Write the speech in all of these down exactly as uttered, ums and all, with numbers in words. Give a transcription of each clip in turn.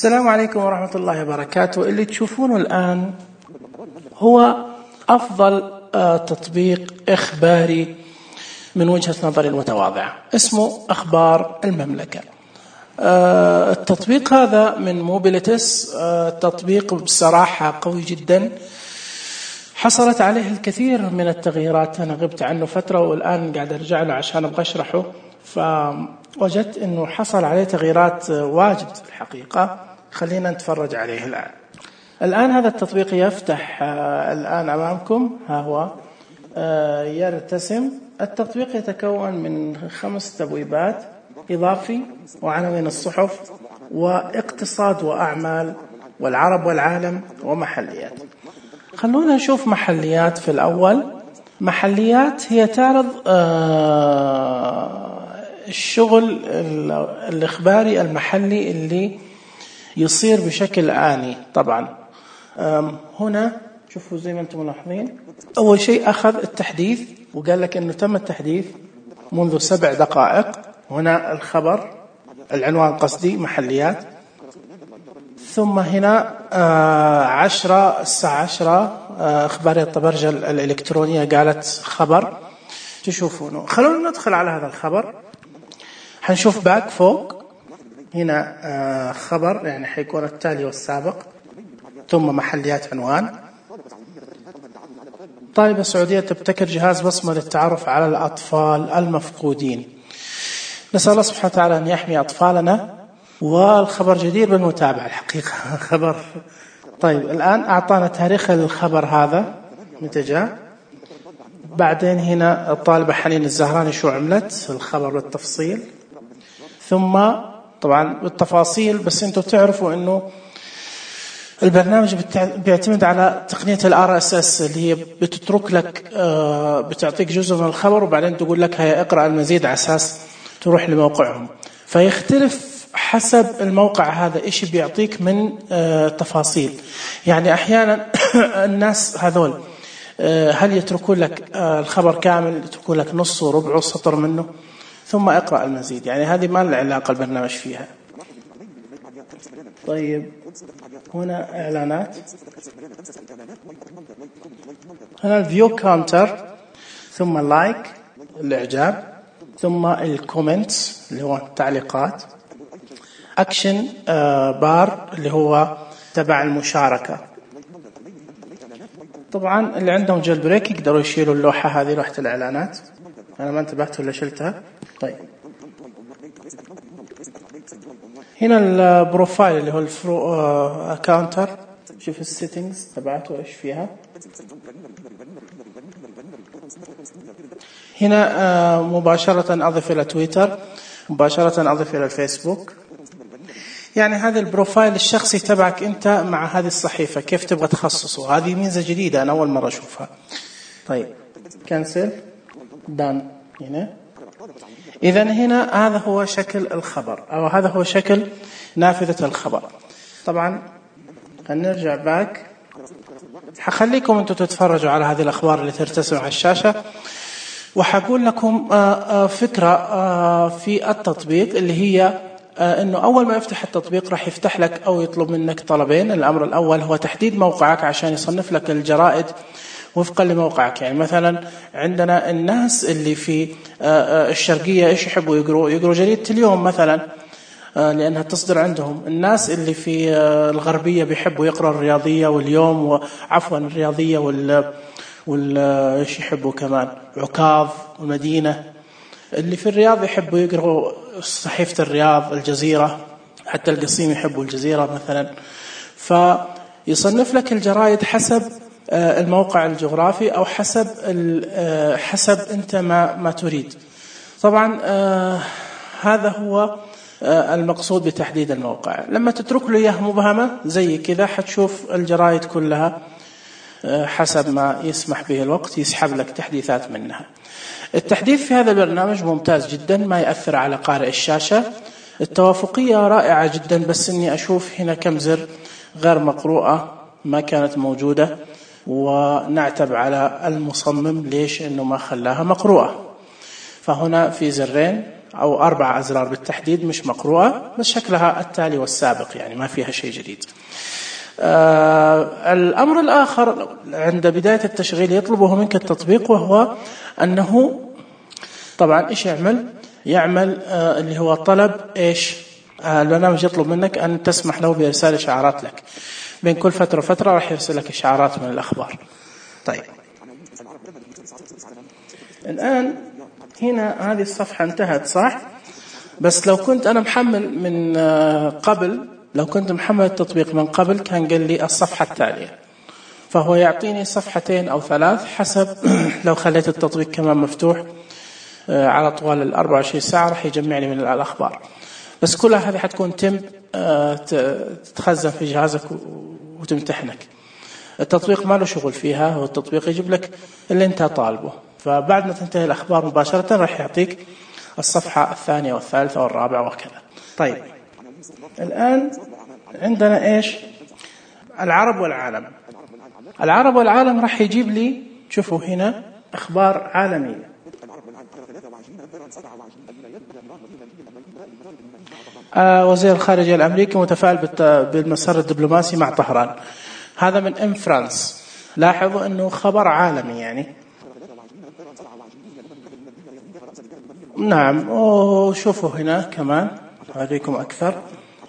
السلام عليكم ورحمة الله وبركاته. اللي تشوفونه الآن هو أفضل تطبيق إخباري من وجهة نظري المتواضعة، اسمه أخبار المملكة. التطبيق هذا من موبيليتس، تطبيق بصراحة قوي جدا، حصلت عليه الكثير من التغييرات. أنا غبت عنه فترة والآن قاعد أرجع له عشان أبغى أشرحه، فوجدت أنه حصل عليه تغييرات واجد الحقيقة. خلينا نتفرج عليه الآن. الآن هذا التطبيق يفتح الآن أمامكم، ها هو يرتسم. التطبيق يتكون من خمس تبويبات: إضافي، وعناوين الصحف، واقتصاد وأعمال، والعرب والعالم، ومحليات. خلونا نشوف محليات في الأول. محليات هي تعرض الشغل الإخباري المحلي اللي يصير بشكل آني. طبعا هنا شوفوا زي ما أنتم ملاحظين، أول شيء أخذ التحديث وقال لك أنه تم التحديث منذ سبع دقائق. هنا الخبر، العنوان قصدي محليات. ثم هنا عشرة الساعة عشرة إخبارية طبرجة الإلكترونية قالت خبر تشوفونه. خلونا ندخل على هذا الخبر. حنشوف باك فوق هنا خبر، يعني حيكون التالي والسابق، ثم محليات عنوان. طالبة سعودية تبتكر جهاز بصمة للتعرف على الأطفال المفقودين. نسأل الله سبحانه وتعالى أن يحمي أطفالنا، والخبر جدير بالمتابعة الحقيقة. خبر طيب. الآن أعطانا تاريخ الخبر هذا متى جاء. بعدين هنا الطالبة حنين الزهراني شو عملت، الخبر بالتفصيل. ثم طبعا بالتفاصيل، بس أنتم تعرفوا أنه البرنامج بيعتمد على تقنية الار اس اس اللي هي بتترك لك، بتعطيك جزء من الخبر وبعدين تقول لك هيا اقرأ المزيد على أساس تروح لموقعهم. فيختلف حسب الموقع هذا إيش بيعطيك من تفاصيل. يعني أحيانا الناس هذول هل يتركون لك الخبر كامل، يتركون لك نص وربع سطر منه، ثم اقرأ المزيد. يعني هذه ما له علاقة البرنامج فيها. طيب هنا إعلانات، هنا الفيو كاونتر، ثم اللايك الإعجاب، ثم الكومنتس اللي هو التعليقات، أكشن بار اللي هو تبع المشاركة. طبعا اللي عندهم جيل بريك يقدروا يشيلوا اللوحة هذه، لوحة الإعلانات. أنا ما انتبهت ولا شلتها. طيب هنا البروفايل اللي هو الفرو أكاونتر. شوف السيتنجز تبعته إيش فيها. هنا مباشرة أضف إلى تويتر، مباشرة أضف إلى الفيسبوك. يعني هذا البروفايل الشخصي تبعك أنت مع هذه الصحيفة، كيف تبغى تخصصه. هذه ميزة جديدة أنا أول مرة أشوفها. طيب كنسل دان هنا. إذن هنا هذا هو شكل الخبر، أو هذا هو شكل نافذة الخبر. طبعا هنرجع باك، حخليكم أنتم تتفرجوا على هذه الأخبار اللي ترتسم على الشاشة، وحقول لكم فكرة في التطبيق اللي هي أنه أول ما يفتح التطبيق راح يفتح لك أو يطلب منك طلبين. الأمر الأول هو تحديد موقعك عشان يصنف لك الجرائد وفقا لموقعك. يعني مثلا عندنا الناس اللي في الشرقية إيش يحبوا يقروا، يقروا جريدة اليوم مثلا لأنها تصدر عندهم. الناس اللي في الغربية بيحبوا يقرأ الرياضية واليوم، وعفوا الرياضية وال وال إيش يحبوا كمان عكاظ والمدينة. اللي في الرياض يحبوا يقرأوا صحيفة الرياض، الجزيرة، حتى القصيم يحبوا الجزيرة مثلا. فيصنف لك الجرائد حسب الموقع الجغرافي أو حسب حسب أنت ما ما تريد. طبعا هذا هو المقصود بتحديد الموقع. لما تترك له إياه مبهمة زي كذا حتشوف الجرائد كلها حسب ما يسمح به الوقت، يسحب لك تحديثات منها. التحديث في هذا البرنامج ممتاز جدا، ما يأثر على قارئ الشاشة. التوافقية رائعة جدا، بس إني أشوف هنا كم زر غير مقروءة ما كانت موجودة، ونعتب على المصمم ليش إنه ما خلاها مقروءة. فهنا في زرين أو أربع أزرار بالتحديد مش مقروءة، بس شكلها التالي والسابق، يعني ما فيها شيء جديد. آه الأمر الآخر عند بداية التشغيل يطلبه منك التطبيق، وهو أنه طبعا إيش يعمل يعمل آه اللي هو طلب إيش آه البرنامج يطلب منك أن تسمح له بإرسال إشعارات لك بين كل فترة وفترة، راح يرسل لك إشعارات من الأخبار. طيب الآن هنا هذه الصفحة انتهت صح، بس لو كنت أنا محمل من قبل، لو كنت محمل التطبيق من قبل كان قال لي الصفحة التالية، فهو يعطيني صفحتين أو ثلاث حسب لو خليت التطبيق كمان مفتوح على طوال الأربع وعشرين ساعة راح يجمع لي من الأخبار، بس كلها هذه حتكون تم تتخزن في جهازك وتمتحنك. التطبيق ما له شغل فيها، هو التطبيق يجيب لك اللي انت طالبه، فبعد ما تنتهي الأخبار مباشرة راح يعطيك الصفحة الثانية والثالثة والرابعة وكذا. طيب الآن عندنا إيش العرب والعالم. العرب والعالم راح يجيب لي، شوفوا هنا أخبار عالمية. آه وزير الخارجية الأمريكي متفائل بالمسار الدبلوماسي مع طهران. هذا من ام فرانس. لاحظوا أنه خبر عالمي يعني. نعم، وشوفوا هنا كمان أوريكم أكثر.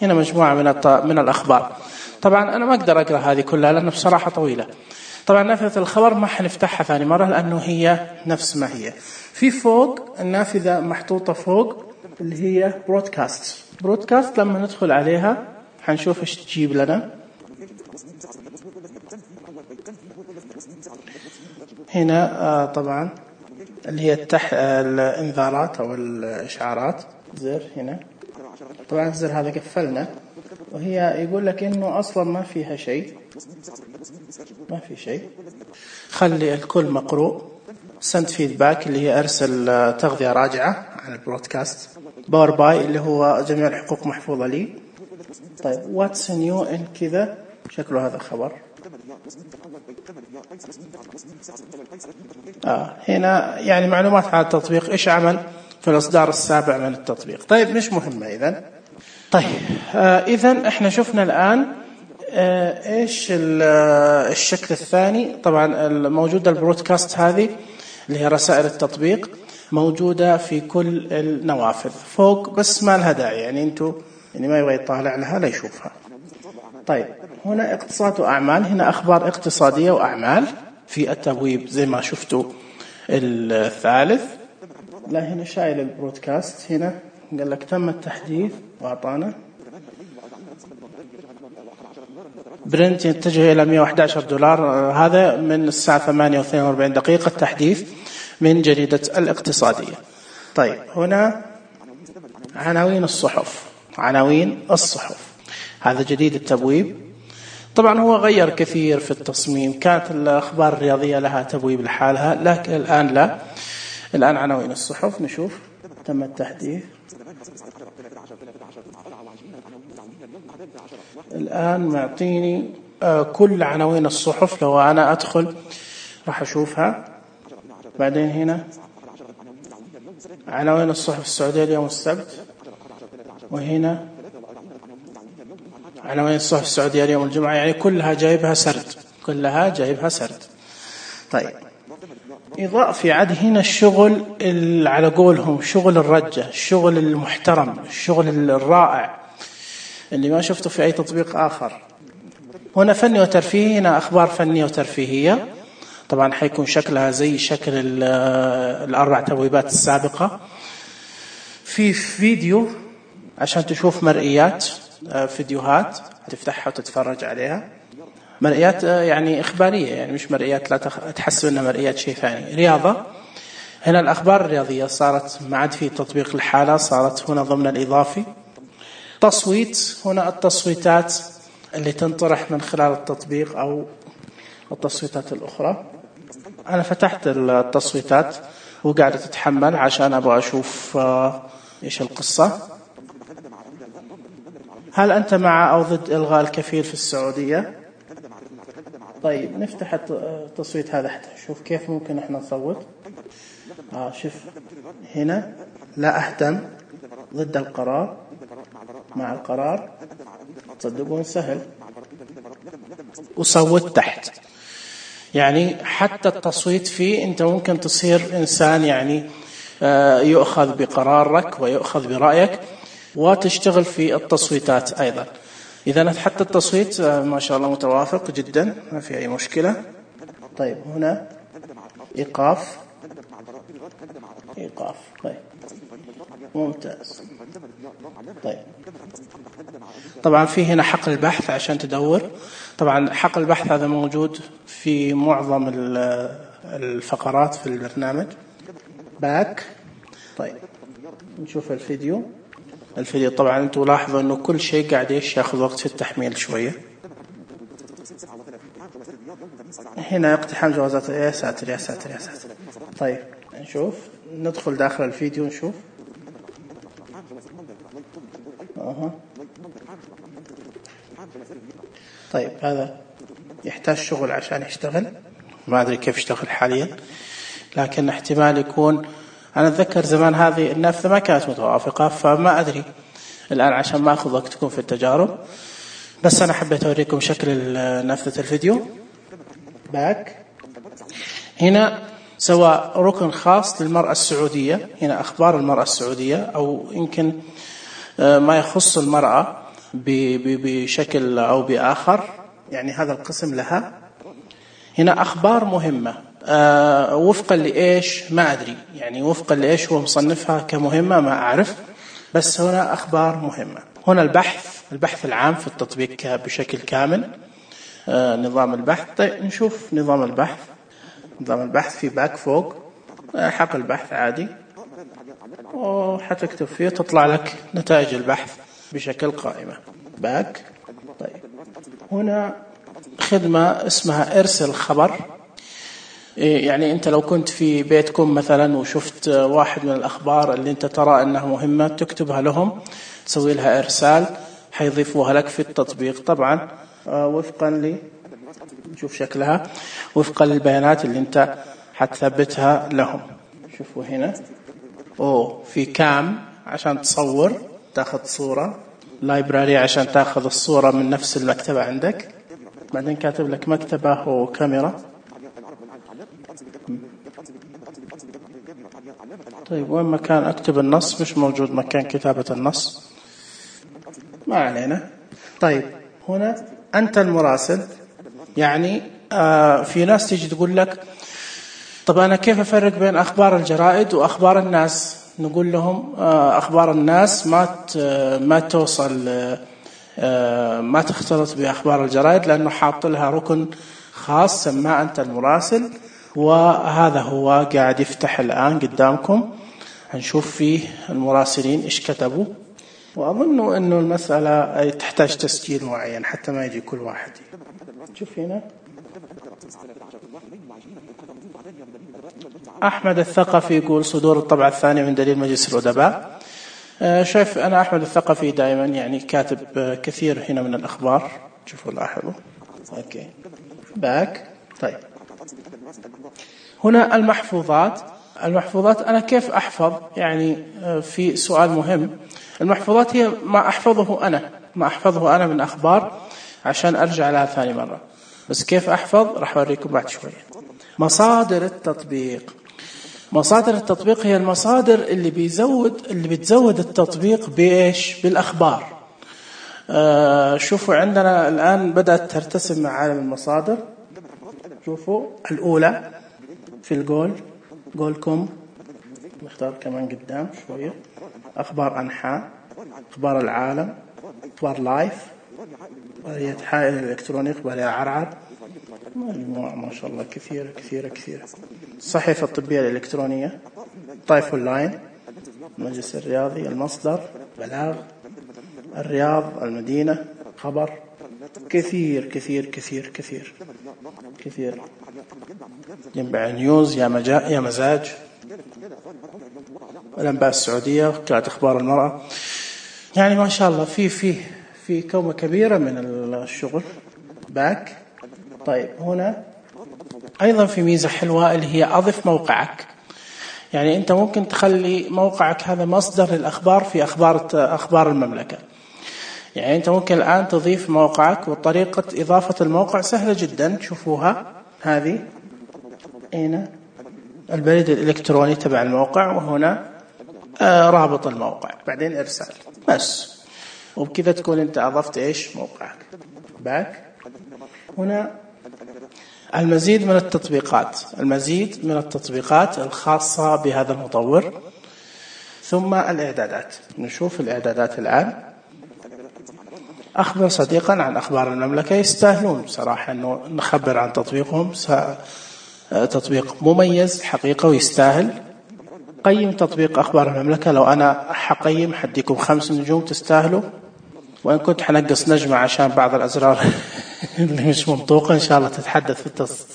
هنا مجموعة من من الأخبار. طبعا أنا ما أقدر أقرأ هذه كلها لأنه بصراحة طويلة. طبعا نافذة الخبر ما حنفتحها ثاني مرة لأنه هي نفس ما هي. في فوق النافذة محطوطة فوق اللي هي برودكاست. برودكاست لما ندخل عليها حنشوف إيش تجيب لنا. هنا آه طبعا اللي هي التح... الانذارات أو الإشعارات. زر هنا طبعا الزر هذا قفلنا، وهي يقول لك إنه أصلا ما فيها شيء، ما في شيء. خلي الكل مقروء. سند فيدباك اللي هي أرسل تغذية راجعة عن البرودكاست. باور باي اللي هو جميع الحقوق محفوظة لي. طيب واتس نيو إن كذا شكله هذا خبر. آه هنا يعني معلومات عن التطبيق، إيش عمل في الإصدار السابع من التطبيق. طيب مش مهمة إذن. طيب آه إذن إحنا شفنا الآن آه إيش الشكل الثاني. طبعا موجودة البرودكاست هذه اللي هي رسائل التطبيق، موجودة في كل النوافذ فوق، بس ما لها داعي يعني أنتوا يعني ما يبغى يطالع لها لا يشوفها. طيب هنا اقتصاد وأعمال. هنا أخبار اقتصادية وأعمال في التبويب زي ما شفتوا الثالث. لا هنا شايل البرودكاست. هنا قال لك تم التحديث وأعطانا برنت يتجه إلى مئة وأحد عشر دولار. هذا من الساعة ثمانية واثنين وأربعين دقيقة تحديث من جريدة الاقتصادية. طيب هنا عناوين الصحف. عناوين الصحف هذا جديد التبويب. طبعا هو غير كثير في التصميم. كانت الأخبار الرياضية لها تبويب لحالها، لكن الآن لا. الآن عناوين الصحف. نشوف تم التحديث. الآن معطيني كل عناوين الصحف. لو أنا أدخل راح أشوفها. بعدين هنا عناوين الصحف السعودية اليوم السبت، وهنا عناوين الصحف السعودية اليوم الجمعة. يعني كلها جايبها سرد، كلها جايبها سرد. طيب إضافي عاد هنا الشغل على قولهم شغل الرجة، الشغل المحترم، الشغل الرائع اللي ما شفته في أي تطبيق آخر. هنا فني وترفيهي. هنا أخبار فنية وترفيهية. طبعا حيكون شكلها زي شكل الأربع تبويبات السابقة. في فيديو عشان تشوف مرئيات، فيديوهات تفتحها وتتفرج عليها. مرئيات يعني إخبارية، يعني مش مرئيات لا تحسب أنها مرئيات شيء ثاني. رياضة. هنا الأخبار الرياضية صارت ما عاد في تطبيق لحالها، صارت هنا ضمن الإضافي. تصويت. هنا التصويتات اللي تنطرح من خلال التطبيق أو التصويتات الأخرى. أنا فتحت التصويتات وقاعدة تتحمل عشان أبغى أشوف إيش القصة. هل أنت مع أو ضد إلغاء الكفيل في السعودية؟ طيب نفتح التصويت هذا حتى نشوف كيف ممكن إحنا نصوت. آه شوف هنا لا أهتم ضد القرار مع القرار، تصدقون سهل. وصوت تحت، يعني حتى التصويت فيه أنت ممكن تصير إنسان يعني يؤخذ بقرارك ويؤخذ برأيك وتشتغل في التصويتات أيضا. إذا حتى التصويت ما شاء الله متوافق جدا، ما في أي مشكلة. طيب هنا إيقاف إيقاف طيب ممتاز. طيب طبعا في هنا حقل البحث عشان تدور. طبعا حقل البحث هذا موجود في معظم الفقرات في البرنامج. باك. طيب نشوف الفيديو. الفيديو طبعا انتم لاحظوا انه كل شيء قاعد ايش ياخذ وقت في التحميل شويه. هنا اقتحام جوازات. يا ساتر يا ساتر يا ساتر. طيب نشوف، ندخل داخل الفيديو نشوف. أه. طيب هذا يحتاج شغل عشان يشتغل، ما أدري كيف يشتغل حاليا، لكن احتمال يكون. أنا أتذكر زمان هذه النافذة ما كانت متوافقة، فما أدري الآن عشان ما أخذ وقتكم في التجارب، بس أنا حبيت أوريكم شكل نافذة الفيديو. باك. هنا سواء ركن خاص للمرأة السعودية، هنا أخبار المرأة السعودية، أو يمكن ما يخص المرأة بشكل أو بآخر، يعني هذا القسم لها. هنا أخبار مهمة أه وفقا لإيش ما أدري، يعني وفقا لإيش هو مصنفها كمهمة ما أعرف، بس هنا أخبار مهمة. هنا البحث البحث العام في التطبيق بشكل كامل. أه نظام البحث. طيب نشوف نظام البحث. نظام البحث في باك فوق أه حق البحث عادي، وحتكتب فيه تطلع لك نتائج البحث بشكل قائمة. باك. طيب هنا خدمة اسمها ارسل خبر. يعني أنت لو كنت في بيتكم مثلا وشفت واحد من الأخبار اللي أنت ترى أنها مهمة تكتبها لهم، تسوي لها إرسال، حيضيفوها لك في التطبيق طبعا وفقا ل نشوف شكلها وفقا للبيانات اللي أنت حتثبتها لهم. شوفوا هنا أوه في كام عشان تصور تاخذ صورة، لايبراري عشان تاخذ الصورة من نفس المكتبة عندك، بعدين كاتب لك مكتبة وكاميرا. طيب وين مكان أكتب النص؟ مش موجود مكان كتابة النص، ما علينا. طيب هنا أنت المراسل، يعني آه في ناس تيجي تقول لك طب أنا كيف أفرق بين أخبار الجرائد وأخبار الناس؟ نقول لهم آه أخبار الناس ما ما توصل آه ما تختلط بأخبار الجرائد، لأنه حاط لها ركن خاص سماه أنت المراسل، وهذا هو قاعد يفتح الآن قدامكم. هنشوف فيه المراسلين إيش كتبوا، وأظن أنه المسألة تحتاج تسجيل معين حتى ما يجي كل واحد. شوف هنا أحمد الثقفي يقول صدور الطبعة الثانية من دليل مجلس الأدباء. شايف أنا أحمد الثقفي دائما يعني كاتب كثير هنا من الأخبار، شوفوا لاحظوا. أوكي باك. طيب هنا المحفوظات. المحفوظات أنا كيف أحفظ؟ يعني في سؤال مهم. المحفوظات هي ما أحفظه أنا ما أحفظه أنا من أخبار عشان أرجع لها ثاني مرة، بس كيف أحفظ راح أوريكم بعد شوية. مصادر التطبيق. مصادر التطبيق هي المصادر اللي بيزود اللي بتزود التطبيق بإيش؟ بالأخبار. آه شوفوا عندنا الآن بدأت ترتسم معالم المصادر. شوفوا الأولى في الجول جول كوم، نختار كمان قدام شوية. أخبار أنحاء، أخبار العالم، أخبار لايف، هي حائل الإلكتروني، أخبار عرعر، مجموعة ما شاء الله كثيرة كثيرة كثيرة. الصحيفة الطبية الإلكترونية، طائف أونلاين، المجلس الرياضي، المصدر، بلاغ، الرياض، المدينة، خبر، كثير كثير كثير كثير كثير. ينبع نيوز، يا مجا يا مزاج، الأنباء السعودية، قراءة أخبار المرأة. يعني ما شاء الله في في في كومة كبيرة من الشغل. باك. طيب هنا أيضا في ميزة حلوة اللي هي أضف موقعك. يعني أنت ممكن تخلي موقعك هذا مصدر للأخبار في أخبار أخبار المملكة. يعني أنت ممكن الآن تضيف موقعك، وطريقة إضافة الموقع سهلة جدا، شوفوها هذه هنا البريد الإلكتروني تبع الموقع، وهنا آه رابط الموقع، بعدين إرسال بس، وبكذا تكون أنت أضفت إيش موقعك. باك هنا المزيد من التطبيقات، المزيد من التطبيقات الخاصة بهذا المطور، ثم الإعدادات. نشوف الإعدادات الآن. أخبر صديقا عن أخبار المملكة، يستاهلون صراحة أنه نخبر عن تطبيقهم، تطبيق مميز حقيقة ويستاهل. قيم تطبيق أخبار المملكة، لو أنا حقيم حديكم خمس نجوم، تستاهلوا، وإن كنت حنقص نجمة عشان بعض الأزرار اللي مش منطوقة إن شاء الله تتحدث في التص...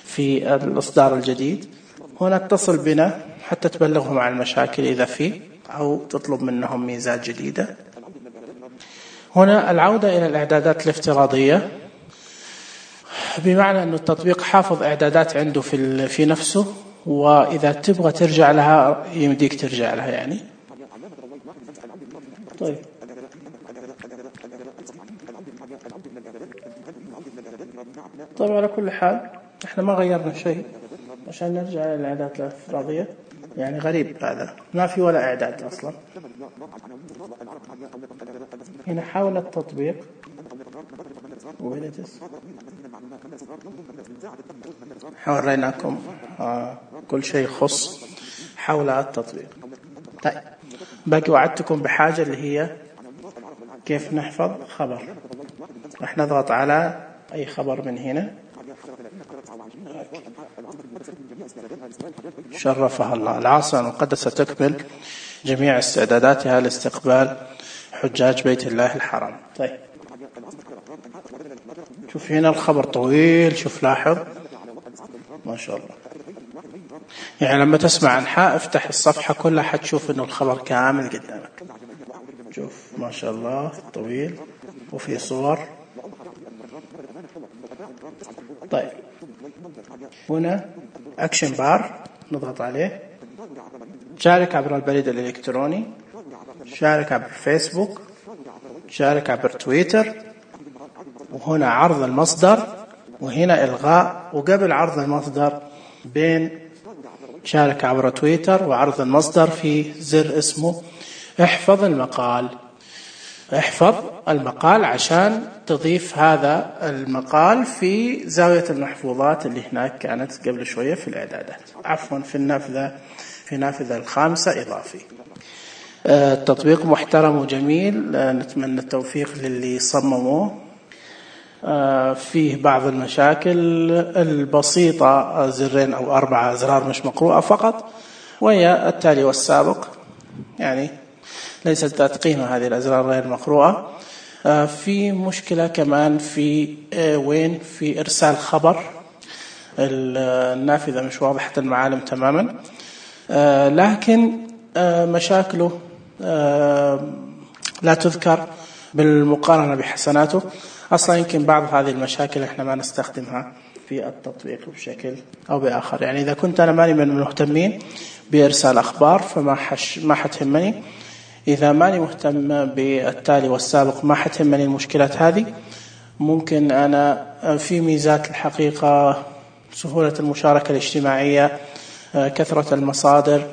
في الإصدار الجديد. هنا اتصل بنا حتى تبلغهم عن المشاكل إذا في، أو تطلب منهم ميزات جديدة. هنا العودة إلى الإعدادات الافتراضية، بمعنى أن التطبيق حافظ إعدادات عنده في في نفسه، وإذا تبغى ترجع لها يمديك ترجع لها يعني. طيب طيب على كل حال احنا ما غيرنا شيء عشان نرجع للإعدادات الافتراضية، يعني غريب هذا، ما في ولا إعداد أصلا. هنا حول التطبيق حوريناكم آه كل شيء يخص حول التطبيق. طيب باقي وعدتكم بحاجة اللي هي كيف نحفظ خبر. رح نضغط على أي خبر من هنا، شرفها الله. العاصمة المقدسة تكمل جميع استعداداتها لاستقبال حجاج بيت الله الحرام. طيب شوف هنا الخبر طويل، شوف لاحظ ما شاء الله. يعني لما تسمع أنحاء افتح الصفحة كلها حتشوف إنه الخبر كامل قدامك. شوف ما شاء الله طويل وفي صور. طيب هنا أكشن بار نضغط عليه، شارك عبر البريد الإلكتروني، شارك عبر فيسبوك، شارك عبر تويتر، وهنا عرض المصدر، وهنا إلغاء. وقبل عرض المصدر بين شارك عبر تويتر وعرض المصدر في زر اسمه احفظ المقال. احفظ المقال عشان تضيف هذا المقال في زاوية المحفوظات اللي هناك كانت قبل شوية في الإعدادات، عفوا في النافذة في نافذة الخامسة إضافي. التطبيق محترم وجميل، نتمنى التوفيق للي صمموه. فيه بعض المشاكل البسيطة، زرين أو أربعة أزرار مش مقروءة فقط، وهي التالي والسابق، يعني ليست ذات قيمة هذه الأزرار غير مقروءة. في مشكلة كمان في وين في إرسال خبر، النافذة مش واضحة المعالم تماما، لكن مشاكله لا تذكر بالمقارنة بحسناته. أصلا يمكن بعض هذه المشاكل إحنا ما نستخدمها في التطبيق بشكل أو بآخر. يعني إذا كنت أنا ماني من المهتمين بإرسال أخبار فما حش ما حتهمني، إذا ماني مهتم بالتالي والسابق ما حتهمني المشكلات هذه. ممكن أنا في ميزات الحقيقة، سهولة المشاركة الاجتماعية، كثرة المصادر،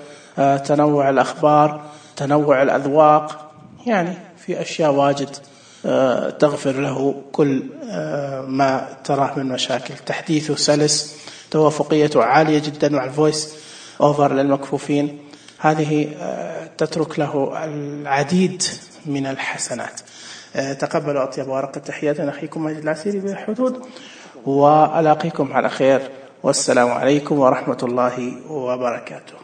تنوع الأخبار، تنوع الأذواق، يعني في أشياء واجد تغفر له كل ما تراه من مشاكل. تحديثه سلس، توافقيته عالية جدا مع الفويس أوفر للمكفوفين، هذه تترك له العديد من الحسنات. تقبلوا أطيب ورقة التحيات من أخيكم ماجد العسيري بالحدود، وألاقيكم على خير، والسلام عليكم ورحمة الله وبركاته.